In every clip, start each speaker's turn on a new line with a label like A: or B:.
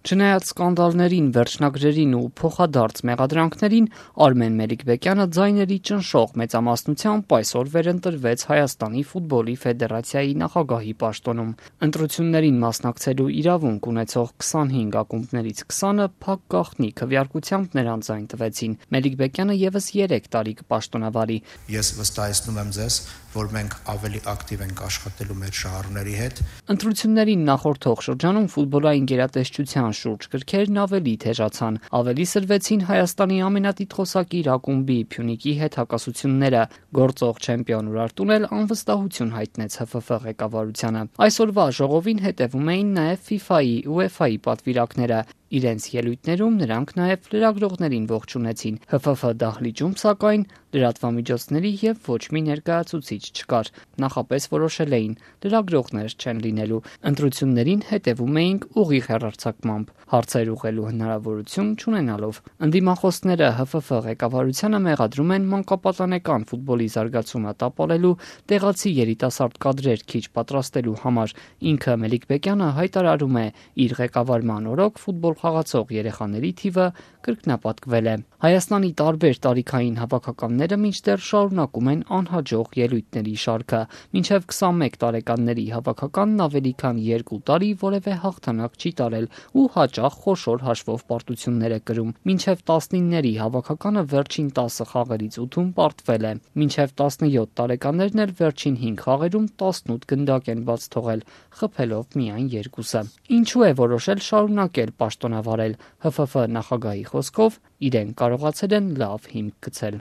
A: Չնայած սկանդալներին, վերջնագրերին ու փոխադարձ մեղադրանքներին, Արմեն Մելիքբեկյանը ձայների ճնշող մեծամասնությամբ այսօր վերընտրվեց Հայաստանի ֆուտբոլի ֆեդերացիայի նախագահի պաշտոնում։ Ընտրություններին մասնակցելու իրավունք ունեցող 25 ակումբներից 20-ը փակ գաղտնի քվեարկությամբ նրան ձայն տվեցին։ Մելիքբեկյանը եւս 3 տարի կպաշտոնավարի։
B: Ես վստահեցնում եմ ձեզ, որ մենք ավելի ակտիվ ենք աշխատելու մեր շահառուների հետ։
A: Ընտրություններին նախորդող շրջանում ֆուտբոլային գերատեսչության շուրջ գրքերն ավելի թեժացան, ավելի սրվեցին Հայաստանի ամենատիտղոսակիր ակումբի Փյունիկի հետ հակասությունները։ Գործող չեմպիոն Ուրարտուն էլ անվստահություն հայտնեց ՀՖՖ ղեկավարությանը։ Այսօրվա ժողովին հետևում էին նաև FIFA-ի, UEFA-ի պատվիրակները։ Իրենց ելույթներում նրանք նաև լրագրողներին ողջունեցին։ ՀՖՖ դահլիճում, սակայն, լրատվամիջոցների եւ ոչ մի ներկայացուցիչ չկար։ Նախապես որոշել էին՝ լրագրողներ չեն լինելու։ Ընտրություններին հետևում էինք ուղիղ հեռարձակմամբ, հարցեր ուղղելու հնարավորություն չունենալով։ Ընդդիմախոսները ՀՖՖ ղեկավարությանը մեղադրում են մանկապատանեկան ֆուտբոլի զարգացումը տապալելու, տեղացի երիտասարդ կադրեր քիչ պատրաստելու համար։ Ինքը Մելիքբեկյանը հայտարարում է՝ իր ղեկավարման օրոք ֆուտբոլ խաղացող երեխաների թիվը կրկնապատկվել է։ Հայաստանի տարբեր տարիքային հավաքականները մինչդեռ շարունակում են անհաջող ելույթների շարքը։ Մինչև 21 տարեկանների հավաքականն ավելի քան 2 տարի որևէ հաղթանակ չի տարել ու հաճախ խոշոր հաշվով պարտություններ է կրում։ Մինչև 19-ների հավաքականը վերջին 10 խաղերից 8-ում պարտվել է։ Մինչև 17 տարեկաններն էլ վերջին 5 խաղերում 18 գնդակ են բաց թողել, խփելով միայն 2-ը։ Ինչու է որոշել շարունակել պաշտոնավարել։ ՀՖՖ նախագահի խոսքով իրեն կարողացել են լավ հիմք գցել։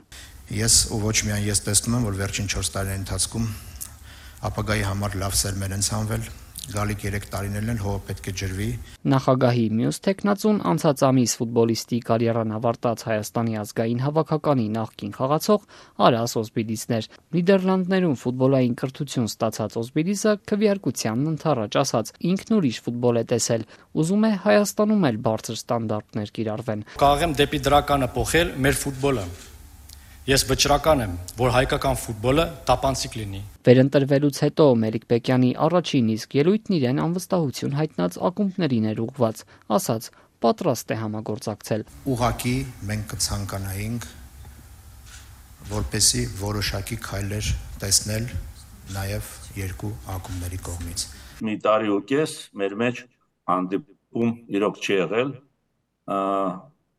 B: Ես ու ոչ միայն ես տեսնում եմ, որ վերջին 4 տարիների ընթացքում ապագայի համար լավ սերմեր են ցանվել, գալիք 3 տարիներն էլ հողը պետք է ջրվի։
A: Նախագահի մյուս թեկնածուն անցած ամիս ֆուտբոլիստի կարիերան ավարտած Հայաստանի ազգային հավաքականի նախկին խաղացող Արաս Օզբիլիսն էր։ Նիդերլանդներում ֆուտբոլային կրթություն ստացած Օզբիլիսը քվեարկությանն ընդառաջ ասաց՝ ինքն ուրիշ ֆուտբոլ է տեսել, ուզում է Հայաստանում էլ բարձր ստանդարտներ կիրառվեն։
C: Կարող եմ դեպի դրականը փոխել մեր ֆուտբոլը։ Ես վճռական եմ, որ հայկական ֆուտբոլը տապանցիկ լինի։
A: Վերընտրվելուց հետո Մելիքբեկյանի առաջին իսկ ելույթն իրեն անվստահություն հայտնած ակումբներին էր ուղղված, ասաց՝ պատրաստ է համագործակցել։
B: Ուղղակի մենք կցանկանայինք, որպեսի որոշակի քայլեր տեսնել նաև երկու ակումբների կողմից։
D: Մի տարի ու կես մեր մեջ հանդիպում իրոք չի եղել։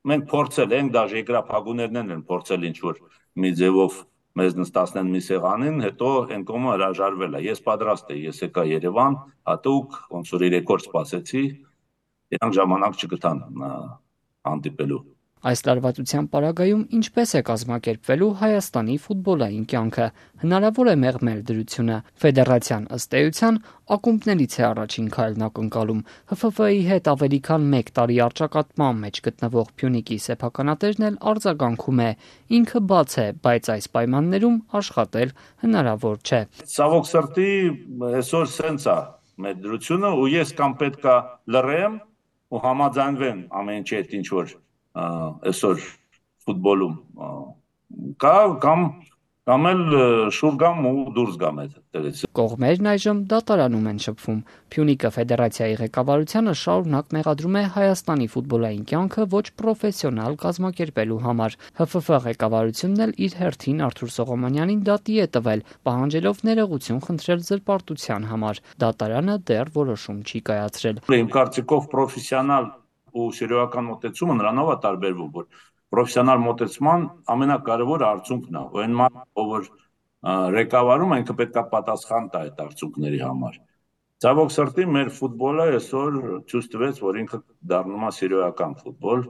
D: Մենք փորձել ենք, դաժե երկրափակուներն են փորձել ինչ-որ մի ձևով մեզ նստացնեն մի սեղանին, հետո այն կողմը հրաժարվել է։ Ես պատրաստ եի, ես եկա Երևան, հատուկ ոնց որ 3 օր սպասեցի, իրանք ժամանակ չգտան հանդիպելու։
A: Այս լարվածության պարագայում ինչպես է կազմակերպվելու Հայաստանի ֆուտբոլային կյանքը։ Հնարավոր է մեղմել դրությունը։ Ֆեդերացիան ըստ էության ակումբներից է առաջին քայլն ակնկալում։ ՀՖՖ-ի հետ ավելի քան 1 տարի առճակատման մեջ գտնվող Փյունիկի սեփականատերն էլ արձագանքում է։ Ինքը բաց է, բայց այս պայմաններում աշխատել հնարավոր չէ։
D: Ցավոք սրտի այսօր սենց է մեր դրությունը ու ես կամ պետքա լռեմ ու համաձայնվեմ ամեն ինչ հետ ինչ որ այսօր ֆուտբոլում կամ էլ շուր գամ ու դուրս գամ այդտեղից։
A: Կողմերն այժմ դատարանում են շփվում։ Փյունիկը ֆեդերացիայի ղեկավարությանը շարունակ մեղադրում է Հայաստանի ֆուտբոլային կյանքը ոչ պրոֆեսիոնալ կազմակերպելու համար։ ՀՖՖ ղեկավարությունն էլ իր հերթին Արթուր Սողոմոնյանին դատի է տվել, պահանջելով ներողություն խնդրել զրպարտության համար։ Դատարանը դեռ որոշում չի կայացրել։
D: Իմ կարծիքով պրոֆեսիոնալ ու սերիոսական մոտեցումը նրանով է տարբերվում, որ պրոֆեսիոնալ մոտեցման ամենակարևոր արդյունքն է, ու այն ով ղեկավարում ինքը պետք է պատասխան տա այդ արդյունքների համար։ Ցավոք սրտի մեր ֆուտբոլը այսօր ցույց տվեց, որ ինքը դառնում է սերիոսական ֆուտբոլ։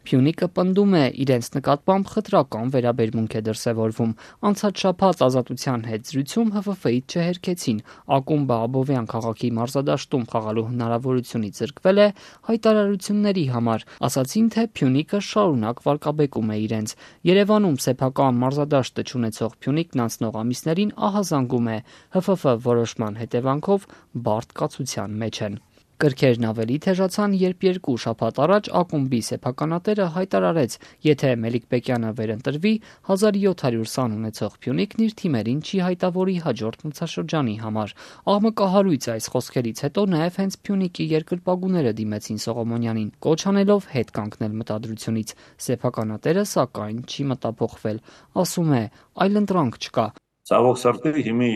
A: Փյունիկը պնդում է, իրենց նկատմամբ խտրական վերաբերմունք է դրսևորվում։ Անցած շաբաթ Ազատության հետ զրույցում ՀՖՖ-ից չհերքեցին։ Ակումբը Աբովյան քաղաքի մարզադաշտում խաղալու հնարավորությունից զրկվել է հայտարարությունների համար։ Ասացին, թե Փյունիկը շարունակ վարկաբեկում է իրենց։ Երևանում սեփական մարզադաշտը չունեցող Փյունիկն անցնող ամիսներին ահազանգում է։ ՀՖՖ որոշման հետևանքով բարդ կացության մեջ են։ Կրքերն ավելի թեժացան, երբ 2 շաբաթ առաջ ակումբի սեփականատերը հայտարարեց, եթե Մելիք-Բեկյանը վերընտրվի, 1700 սան ունեցող Փյունիկն իր թիմերին չի հայտավորի հաջորդ մրցաշրջանի համար։ Աղմկահարույց այս խոսքերից հետո նաև հենց Փյունիկի երկրպագուները դիմեցին Սողոմոնյանին, կոչ անելով հետ կանգնել մտադրությունից։ Սեփականատերը, սակայն, չի մտափոխվել, ասում է՝ այլընտրանք չկա։
D: Ցավոք սրտի հիմի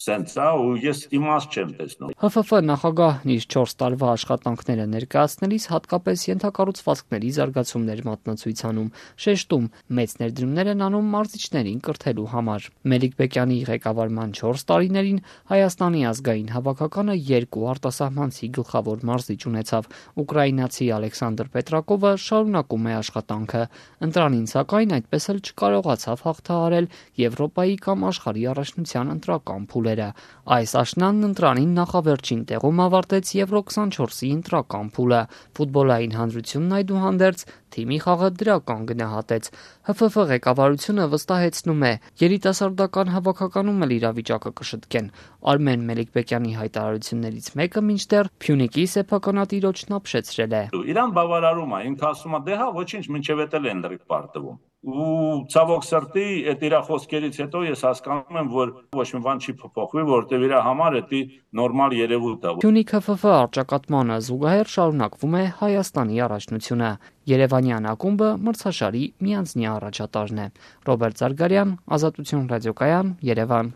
D: սենց է ու ես իմաստ չեմ տեսնում։
A: ՀՖՖ նախագահն իր 4 տարվա աշխատանքները ներկայացնելիս հատկապես ենթակառուցվածքների զարգացումներ մատնացույց անում, շեշտում մեծ ներդրումներ են անում մարզիչներին կրթելու համար։ Մելիք-Բեկյանի ղեկավարման 4 տարիներին Հայաստանի ազգային հավաքականը 2 արտասահմանցի գլխավոր մարզիչ ունեցավ։ Ուկրաինացի Ալեքսանդր Պետրակովը շարունակում է աշխատանքը։ Ընտրանին սակայն այդպես էլ չկարողացավ հաղթահարել Եվրոպայի կամ աշխարհի առաջնության ընտրական փուլերը։ Այս աշնանն ընտրանին նախավերջին տեղում ավարտեց Եվրո 24-ի ընտրական փուլը։ Ֆուտբոլային հանրությունն այդուհանդերձ թիմի խաղը դրական գնահատեց։ ՀՖՖ ղեկավարությունը վստահեցնում է, երիտասարդական հավաքականում էլ իրավիճակը կշտկեն։ Արմեն Մելիք-Բեկյանի հայտարարություններից մեկը մինչդեռ Փյունիկի սեփականատիրոջն ապշեցրել է։
D: Իրան բավարարում է, ինքը ասում է՝ դե հա, ոչինչ, մինչև էդ էլ են լրիվ պարտվում։ Ու ցավոք սրտի այդ իր խոսքերից հետո ես հասկանում եմ, որ ոչ մի բան չի փոփոխվի, որովհետև իր համար դա նորմալ երևույթ է։
A: Փյունիկ ՀՖՖ առճակատմանը զուգահեռ շարունակվում է Հայաստանի առաջնությունը։ Երևանյան ակումբը մրցաշարի միանձնյա առաջատարն է։ Ռոբերտ Զարգարյան, Ազատություն ռադիոկայան, Երևան։